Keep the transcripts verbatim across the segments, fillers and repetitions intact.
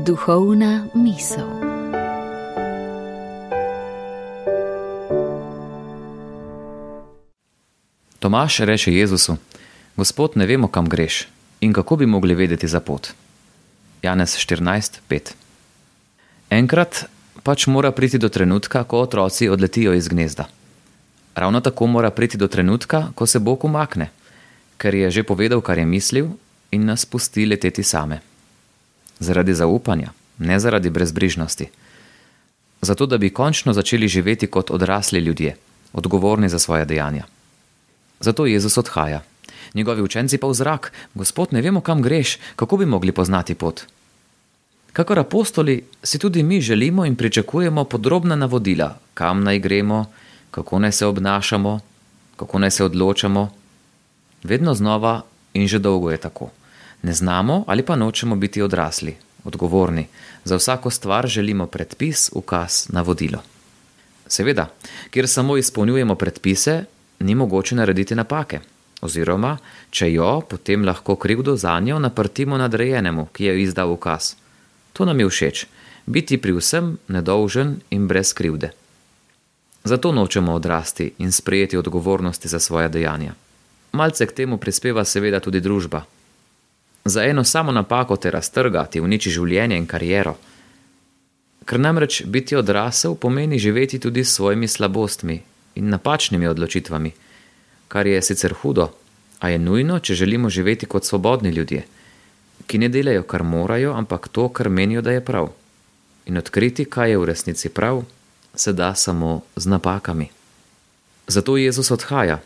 Duhovna misel. Tomaž reče Jezusu: Gospod, ne vemo, kam greš in kako bi mogli vedeti za pot. Janez štirinajst pet. Enkrat pač mora priti do trenutka, ko otroci odletijo iz gnezda. Ravno tako mora priti do trenutka, ko se Bog umakne, ker je že povedal, kar je mislil, in nas pusti leteti same. Zaradi zaupanja, ne zaradi brezbrižnosti. Zato, da bi končno začeli živeti kot odrasli ljudje, odgovorni za svoje dejanja. Zato Jezus odhaja. Njegovi učenci pa v zrak: Gospod, ne vemo, kam greš, kako bi mogli poznati pot. Kakor apostoli si tudi mi želimo in pričakujemo podrobna navodila, kam naj gremo, kako naj se obnašamo, kako naj se odločamo. Vedno znova in že dolgo je tako. Ne znamo ali pa nočemo biti odrasli, odgovorni. Za vsako stvar želimo predpis, ukaz, navodilo. Seveda, kjer samo izpolnjujemo predpise, ni mogoče narediti napake. Oziroma, če jo, potem lahko krivdo zanjo naprtimo nadrejenemu, ki je izdal ukaz. To nam je všeč, biti pri vsem nedolžen in brez krivde. Zato nočemo odrasti in sprejeti odgovornosti za svoja dejanja. Malce k temu prispeva seveda tudi družba. Za eno samo napako te raztrga, ti uniči življenje in kariero. Ker namreč biti odrasel pomeni živeti tudi s svojimi slabostmi in napačnimi odločitvami, kar je sicer hudo, a je nujno, če želimo živeti kot svobodni ljudje, ki ne delajo, kar morajo, ampak to, kar menijo, da je prav. In odkriti, kaj je v resnici prav, se da samo z napakami. Zato Jezus odhaja.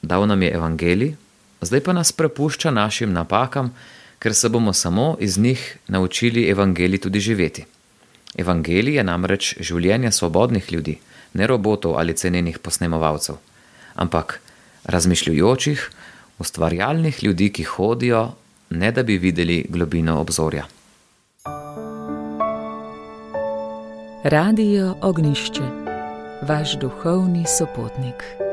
Dal nam je evangelij, zdaj pa nas prepušča našim napakam, ker se bomo samo iz njih naučili evangelij tudi živeti. Evangelij je namreč življenje svobodnih ljudi, ne robotov ali cenenih posnemovalcev, ampak razmišljujočih, ustvarjalnih ljudi, ki hodijo, ne da bi videli globino obzorja. Radio Ognjišče, vaš duhovni sopotnik.